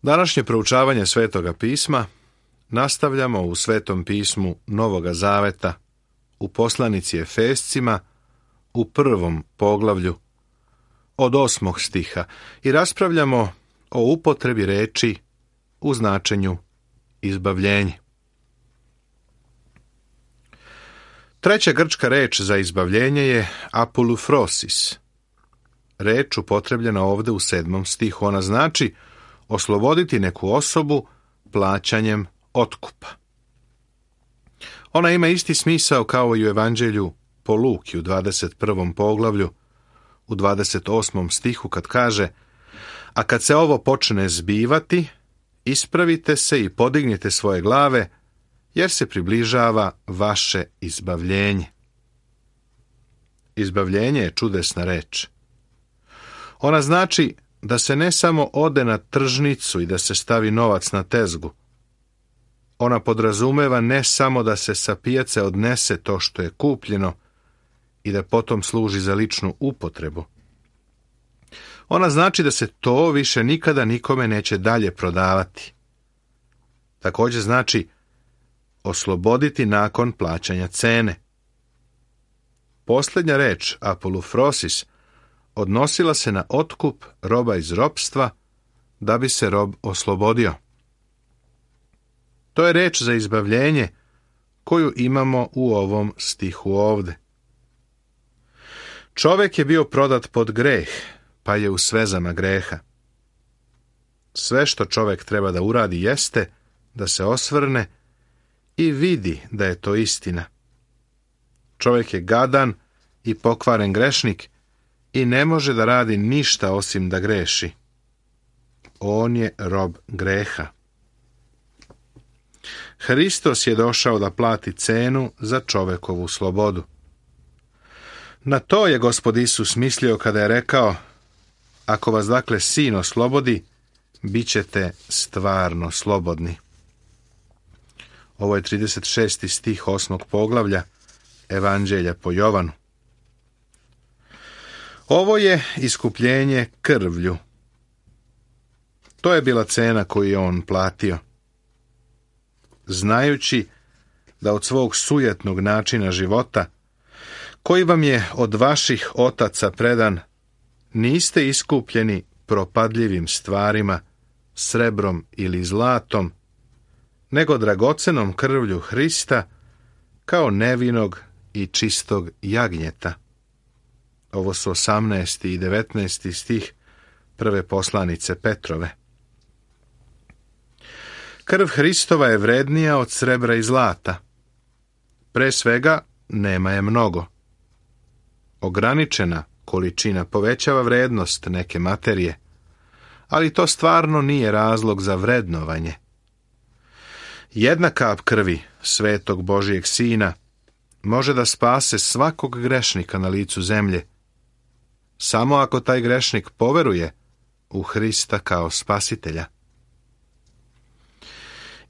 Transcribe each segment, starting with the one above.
Današnje proučavanje Svetoga pisma nastavljamo u Svetom pismu Novoga Zaveta, u poslanici Efescima, u 1. poglavlju, od 8. stiha i raspravljamo o upotrebi reči u značenju izbavljenje. Treća grčka reč za izbavljenje je apolufrosis. Reč upotrebljena ovde u 7. stihu. Ona znači osloboditi neku osobu plaćanjem otkupa. Ona ima isti smisao kao i u Evanđelju po Luki u 21. poglavlju, u 28. stihu kad kaže: a kad se ovo počne zbivati, ispravite se i podignite svoje glave, jer se približava vaše izbavljenje. Izbavljenje je čudesna reč. Ona znači da se ne samo ode na tržnicu i da se stavi novac na tezgu. Ona podrazumeva ne samo da se sa pijace odnese to što je kupljeno i da potom služi za ličnu upotrebu. Ona znači da se to više nikada nikome neće dalje prodavati. Također znači osloboditi nakon plaćanja cene. Posljednja reč, apolufrosis, odnosila se na otkup roba iz ropstva da bi se rob oslobodio. To je reč za izbavljenje koju imamo u ovom stihu ovde. Čovjek je bio prodat pod greh, pa je u svezama greha. Sve što čovjek treba da uradi jeste da se osvrne i vidi da je to istina. Čovjek je gadan i pokvaren grešnik i ne može da radi ništa osim da greši. On je rob greha. Hristos je došao da plati cenu za čovekovu slobodu. Na to je Gospod Isus mislio kada je rekao: ako vas dakle Sin oslobodi, bit ćete stvarno slobodni. Ovo je 36. stih 8. poglavlja Evanđelja po Jovanu. Ovo je iskupljenje krvlju. To je bila cena koju je on platio. Znajući da od svog sujetnog načina života, koji vam je od vaših otaca predan, niste iskupljeni propadljivim stvarima, srebrom ili zlatom, nego dragocenom krvlju Hrista, kao nevinog i čistog jagnjeta. Ovo su 18. i 19. stih prve poslanice Petrove. Krv Hristova je vrednija od srebra i zlata. Pre svega, nema je mnogo. Ograničena količina povećava vrednost neke materije, ali to stvarno nije razlog za vrednovanje. Jedna kap krvi svetog Božijeg Sina može da spase svakog grešnika na licu zemlje, samo ako taj grešnik poveruje u Hrista kao spasitelja.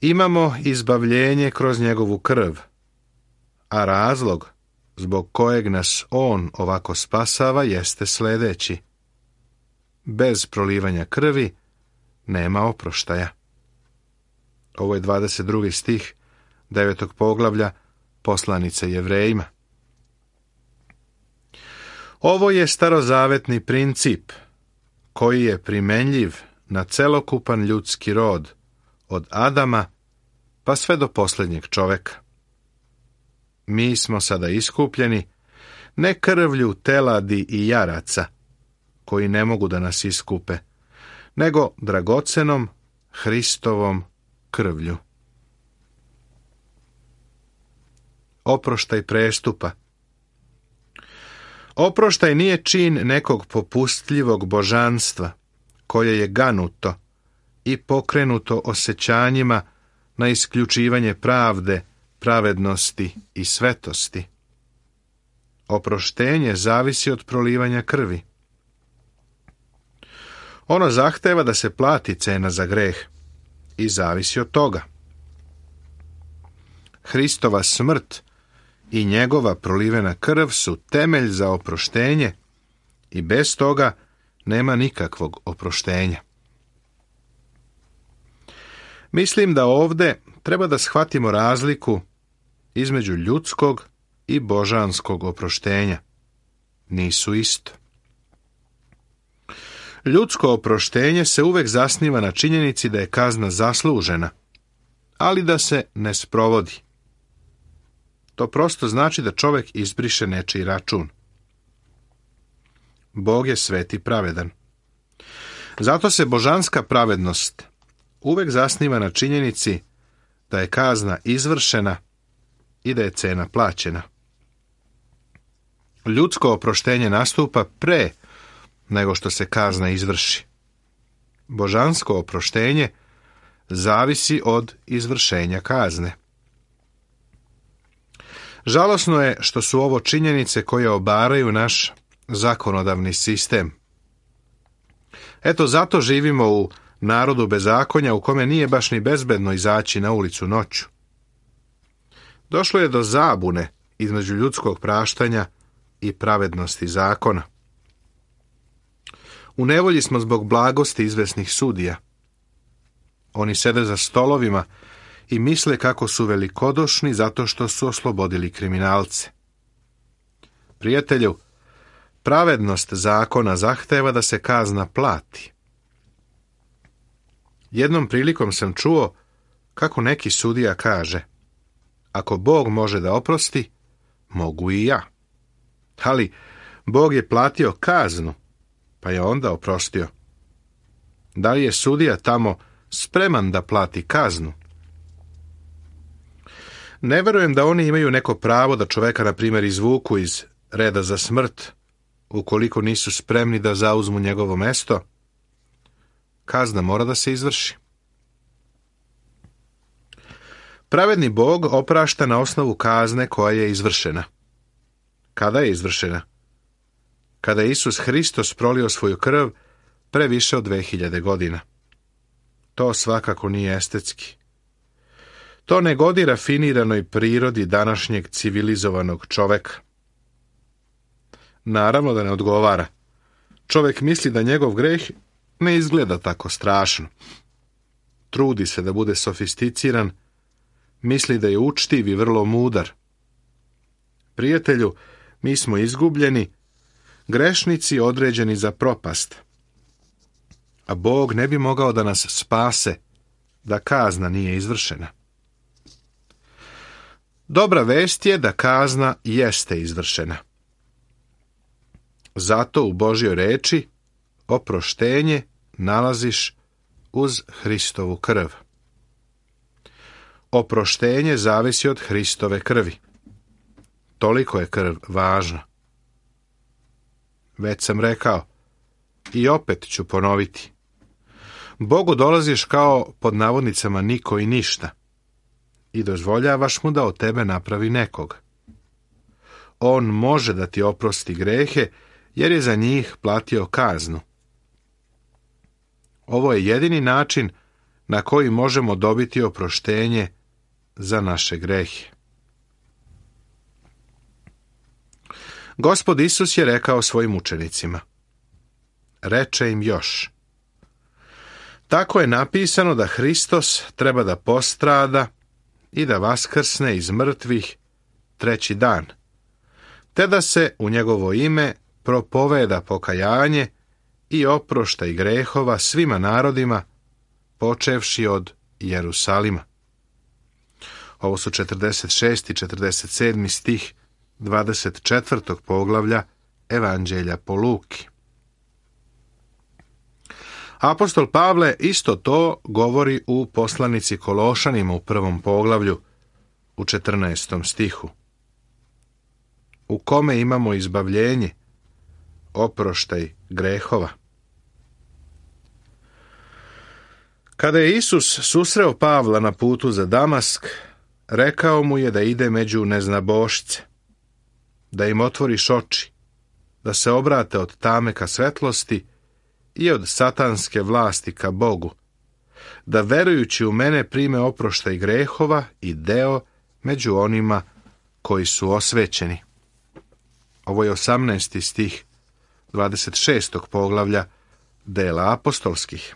Imamo izbavljenje kroz njegovu krv, a razlog zbog kojeg nas on ovako spasava jeste sljedeći: bez prolivanja krvi nema oproštaja. Ovo je 22. stih 9. poglavlja poslanice Jevrejima. Ovo je starozavetni princip koji je primenljiv na celokupan ljudski rod, od Adama pa sve do posljednjeg čoveka. Mi smo sada iskupljeni ne krvlju teladi i jaraca, koji ne mogu da nas iskupe, nego dragocenom Hristovom krvlju. Oproštaj prestupa. Oproštaj nije čin nekog popustljivog božanstva, koje je ganuto i pokrenuto osjećanjima na isključivanje pravde, pravednosti i svetosti. Oproštenje zavisi od prolivanja krvi. Ono zahteva da se plati cena za greh i zavisi od toga. Hristova smrt i njegova prolivena krv su temelj za oproštenje i bez toga nema nikakvog oproštenja. Mislim da ovde treba da shvatimo razliku između ljudskog i božanskog oproštenja. Nisu isto. Ljudsko oproštenje se uvek zasniva na činjenici da je kazna zaslužena, ali da se ne sprovodi. To prosto znači da čovek izbriše nečiji račun. Bog je svet i pravedan. Zato se božanska pravednost uvek zasniva na činjenici da je kazna izvršena i da je cena plaćena. Ljudsko oproštenje nastupa pre nego što se kazna izvrši. Božansko oproštenje zavisi od izvršenja kazne. Žalosno je što su ovo činjenice koje obaraju naš zakonodavni sistem. Eto, zato živimo u narodu bezakonja u kome nije baš ni bezbedno izaći na ulicu noću. Došlo je do zabune između ljudskog praštanja i pravednosti zakona. U nevolji smo zbog blagosti izvesnih sudija. Oni sede za stolovima i misle kako su velikodušni zato što su oslobodili kriminalce. Prijatelju, pravednost zakona zahteva da se kazna plati. Jednom prilikom sam čuo kako neki sudija kaže: ako Bog može da oprosti, mogu i ja. Ali Bog je platio kaznu, pa je onda oprostio. Da li je sudija tamo spreman da plati kaznu? Ne verujem da oni imaju neko pravo da čoveka, na primjer, izvuku iz reda za smrt, ukoliko nisu spremni da zauzmu njegovo mesto. Kazna mora da se izvrši. Pravedni Bog oprašta na osnovu kazne koja je izvršena. Kada je izvršena? Kada je Isus Hristos prolio svoju krv pre više od 2000 godina. To svakako nije estetski. To ne godi rafiniranoj prirodi današnjeg civilizovanog čoveka. Naravno da ne odgovara. Čovek misli da njegov greh ne izgleda tako strašno. Trudi se da bude sofisticiran, misli da je učtiv i vrlo mudar. Prijatelju, mi smo izgubljeni, grešnici određeni za propast. A Bog ne bi mogao da nas spase da kazna nije izvršena. Dobra vest je da kazna jeste izvršena. Zato u Božjoj reči oproštenje nalaziš uz Hristovu krv. Oproštenje zavisi od Hristove krvi. Toliko je krv važna. Već sam rekao i opet ću ponoviti. Bogu dolaziš kao, pod navodnicama, niko i ništa i dozvoljavaš mu da od tebe napravi nekog. On može da ti oprosti grehe jer je za njih platio kaznu. Ovo je jedini način na koji možemo dobiti oproštenje za naše grehe. Gospod Isus je rekao svojim učenicima. Reče im još: tako je napisano da Hristos treba da postrada i da vaskrsne iz mrtvih 3. dan, te da se u njegovo ime propoveda pokajanje i oproštaj grehova svima narodima, počevši od Jerusalima. Ovo su 46. i 47. stih 24. poglavlja Evanđelja po Luki. Apostol Pavle isto to govori u poslanici Kološanima u 1. poglavlju u 14. stihu. U kome imamo izbavljenje, oproštaj grehova. Kada je Isus susreo Pavla na putu za Damask, rekao mu je da ide među neznabošce, da im otvoriš oči, da se obrate od tame ka svetlosti i od satanske vlasti ka Bogu, da verujući u mene prime oproštaj grehova i deo među onima koji su osvećeni. Ovo je 18. stih 26. poglavlja Dela apostolskih.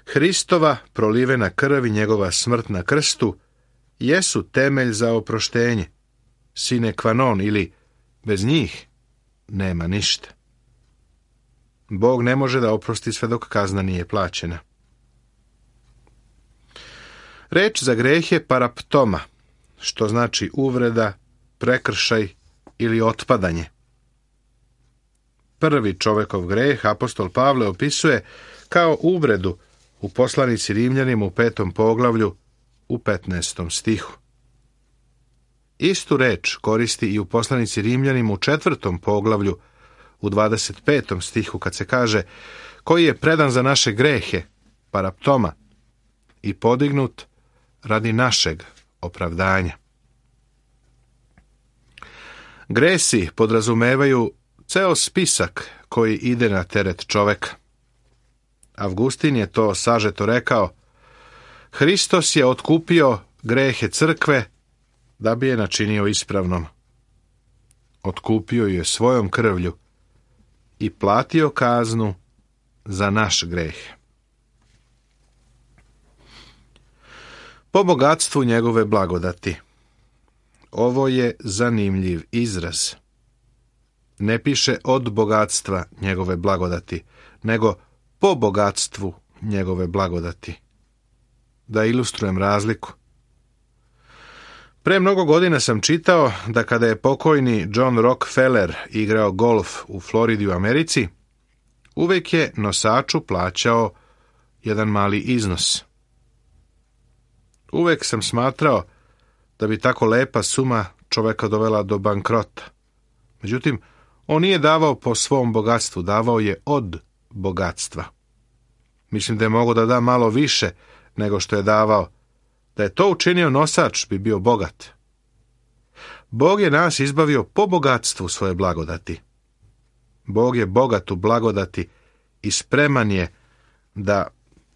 Hristova prolivena krv i njegova smrt na krstu jesu temelj za oproštenje, sine qua non, ili bez njih nema ništa. Bog ne može da oprosti sve dok kazna nije plaćena. Reč za greh je paraptoma, što znači uvreda, prekršaj ili otpadanje. Prvi čovekov greh apostol Pavle opisuje kao uvredu u poslanici Rimljanima u 5. poglavlju u 15. stihu. Istu reč koristi i u poslanici Rimljanima u 4. poglavlju u 25. stihu kad se kaže koji je predan za naše grehe, paraptoma, i podignut radi našeg opravdanja. Gresi podrazumevaju ceo spisak koji ide na teret čoveka. Avgustin je to sažeto rekao: Hristos je otkupio grehe crkve da bi je načinio ispravnom. Otkupio je svojom krvlju i platio kaznu za naš greh. Po bogatstvu njegove blagodati. Ovo je zanimljiv izraz. Ne piše od bogatstva njegove blagodati, nego po bogatstvu njegove blagodati. Da ilustrujem razliku. Pre mnogo godina sam čitao da kada je pokojni John Rockefeller igrao golf u Floridi u Americi, uvek je nosaču plaćao jedan mali iznos. Uvek sam smatrao da bi tako lepa suma čoveka dovela do bankrota. Međutim, on nije davao po svom bogatstvu, davao je od bogatstva. Mislim da je mogao da da malo više nego što je davao. Da je to učinio nosač, bi bio bogat. Bog je nas izbavio po bogatstvu svoje blagodati. Bog je bogat u blagodati i spreman je da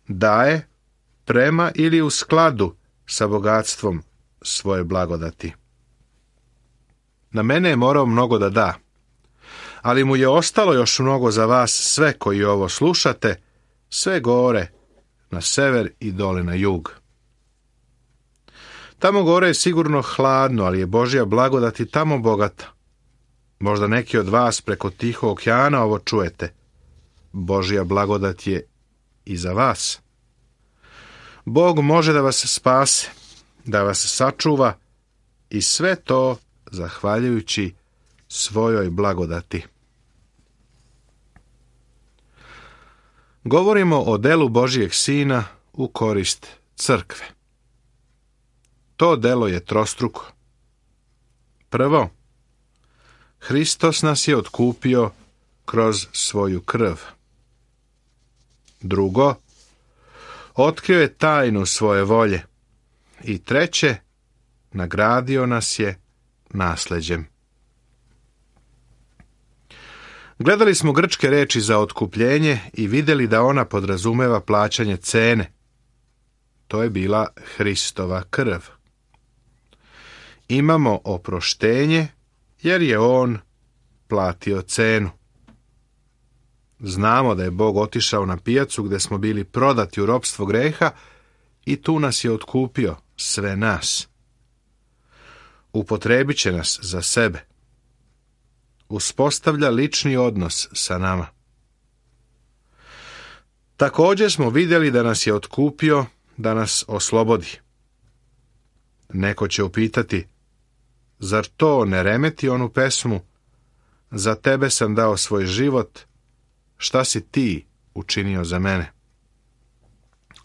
daje prema ili u skladu sa bogatstvom svoje blagodati. Na mene je morao mnogo da da, ali mu je ostalo još mnogo za vas sve koji ovo slušate, sve gore, na sever i dole na jug. Tamo gore je sigurno hladno, ali je Božja blagodat i tamo bogata. Možda neki od vas preko Tihog okeana ovo čujete. Božja blagodat je i za vas. Bog može da vas spase, da vas sačuva i sve to zahvaljujući svojoj blagodati. Govorimo o delu Božijeg Sina u korist crkve. To delo je trostruko. Prvo, Hristos nas je otkupio kroz svoju krv. Drugo, otkrio je tajnu svoje volje. I treće, nagradio nas je nasleđem. Gledali smo grčke reči za otkupljenje i vidjeli da ona podrazumeva plaćanje cene. To je bila Hristova krv. Imamo oproštenje jer je on platio cenu. Znamo da je Bog otišao na pijacu gdje smo bili prodati u ropstvo greha i tu nas je otkupio, sve nas. Upotrebit će nas za sebe. Uspostavlja lični odnos sa nama. Također smo vidjeli da nas je otkupio, da nas oslobodi. Neko će upitati: zar to ne remeti onu pesmu Za tebe sam dao svoj život, šta si ti učinio za mene?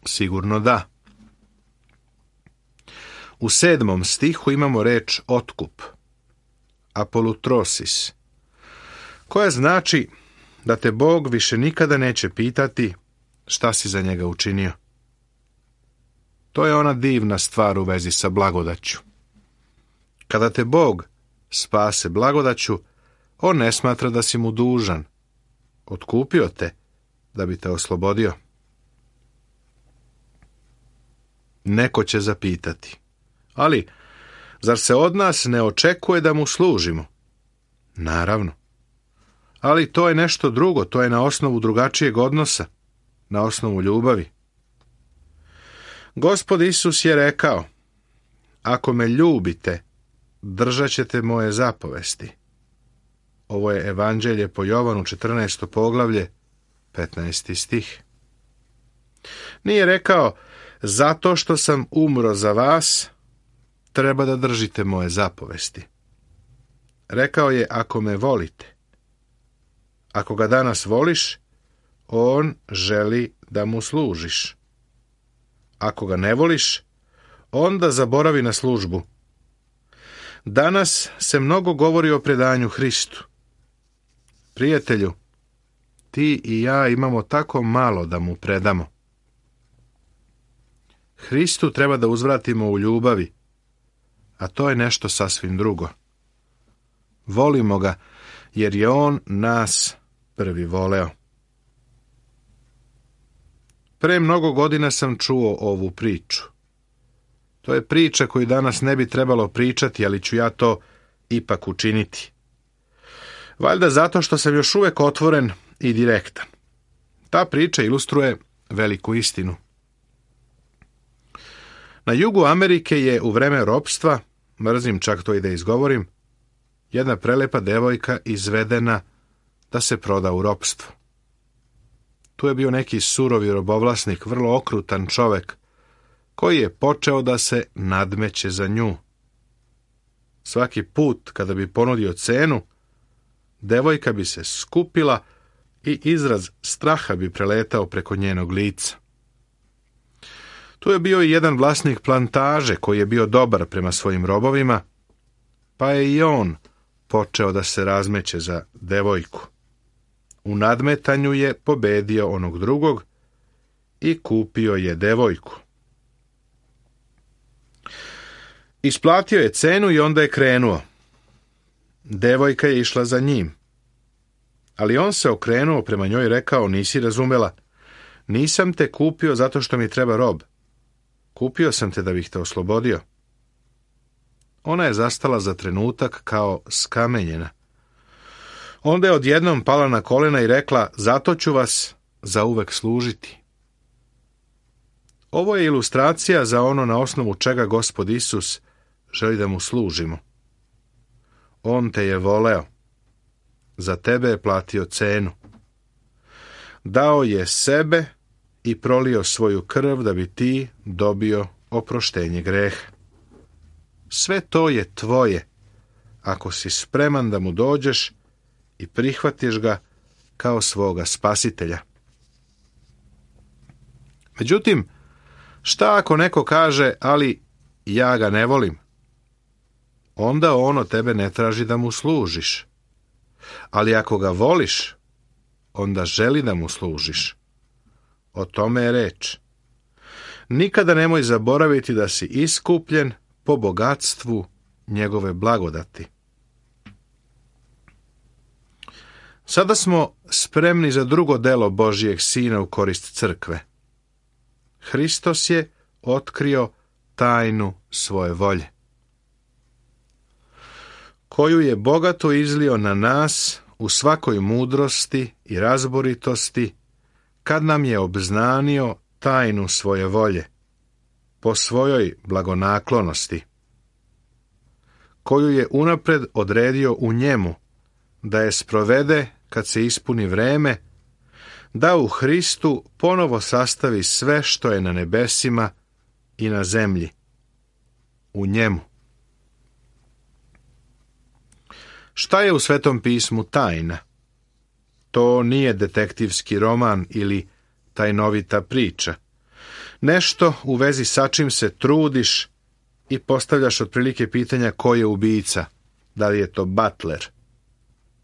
Sigurno da. U 7. stihu imamo reč otkup, apolutrosis, koja znači da te Bog više nikada neće pitati šta si za njega učinio. To je ona divna stvar u vezi sa blagodaću. Kada te Bog spase blagodaću, on ne smatra da si mu dužan. Otkupio te da bi te oslobodio. Neko će zapitati: ali zar se od nas ne očekuje da mu služimo? Naravno. Ali to je nešto drugo, to je na osnovu drugačijeg odnosa, na osnovu ljubavi. Gospod Isus je rekao, ako me ljubite, držat ćete moje zapovesti. Ovo je Evanđelje po Jovanu, 14. poglavlje, 15. stih. Nije rekao, zato što sam umro za vas, treba da držite moje zapovesti. Rekao je, ako me volite. Ako ga danas voliš, on želi da mu služiš. Ako ga ne voliš, onda zaboravi na službu. Danas se mnogo govori o predanju Hristu. Prijatelju, ti i ja imamo tako malo da mu predamo. Hristu treba da uzvratimo u ljubavi, a to je nešto sasvim drugo. Volimo ga, jer je on nas prvi voleo. Pre mnogo godina sam čuo ovu priču. To je priča koju danas ne bi trebalo pričati, ali ću ja to ipak učiniti. Valjda zato što sam još uvek otvoren i direktan. Ta priča ilustruje veliku istinu. Na jugu Amerike je u vreme ropstva, mrzim čak to i da izgovorim, jedna prelepa devojka izvedena da se proda u ropstvo. Tu je bio neki surovi robovlasnik, vrlo okrutan čovek, koji je počeo da se nadmeće za nju. Svaki put kada bi ponudio cenu, devojka bi se skupila i izraz straha bi preletao preko njenog lica. Tu je bio i jedan vlasnik plantaže koji je bio dobar prema svojim robovima, pa je i on počeo da se razmeće za devojku. U nadmetanju je pobedio onog drugog i kupio je devojku. Isplatio je cenu i onda je krenuo. Devojka je išla za njim. Ali on se okrenuo prema njoj i rekao, nisi razumela, nisam te kupio zato što mi treba rob. Kupio sam te da bih te oslobodio. Ona je zastala za trenutak kao skamenjena. Onda je odjednom pala na kolena i rekla, zato ću vas zauvek služiti. Ovo je ilustracija za ono na osnovu čega Gospod Isus želi da mu služimo. On te je voleo. Za tebe je platio cenu. Dao je sebe i prolio svoju krv da bi ti dobio oproštenje greha. Sve to je tvoje, ako si spreman da mu dođeš i prihvatiš ga kao svoga spasitelja. Međutim, šta ako neko kaže, ali ja ga ne volim? Onda on od tebe ne traži da mu služiš. Ali ako ga voliš, onda želi da mu služiš. O tome je reč. Nikada nemoj zaboraviti da si iskupljen po bogatstvu njegove blagodati. Sada smo spremni za drugo delo Božijeg Sina u korist crkve. Hristos je otkrio tajnu svoje volje, koju je bogato izlio na nas u svakoj mudrosti i razboritosti, kad nam je obznanio tajnu svoje volje, po svojoj blagonaklonosti, koju je unapred odredio u njemu, da je sprovede kad se ispuni vreme, da u Hristu ponovo sastavi sve što je na nebesima i na zemlji. U njemu. Šta je u Svetom pismu tajna? To nije detektivski roman ili tajnovita priča. Nešto u vezi sa čim se trudiš i postavljaš otprilike pitanja ko je ubica. Da li je to Butler?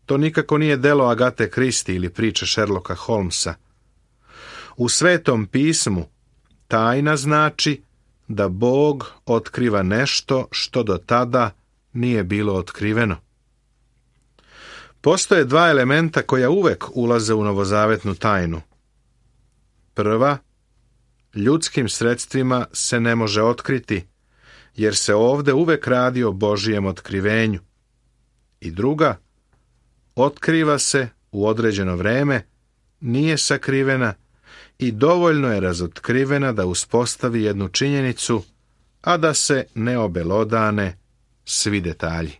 To nikako nije delo Agate Christie ili priča Sherlocka Holmesa. U Svetom pismu tajna znači da Bog otkriva nešto što do tada nije bilo otkriveno. Postoje dva elementa koja uvek ulaze u novozavetnu tajnu. Prva, ljudskim sredstvima se ne može otkriti, jer se ovde uvek radi o Božijem otkrivenju. I druga, otkriva se u određeno vreme, nije sakrivena i dovoljno je razotkrivena da uspostavi jednu činjenicu, a da se ne obelodane svi detalji.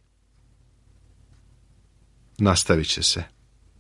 Nastavit će se.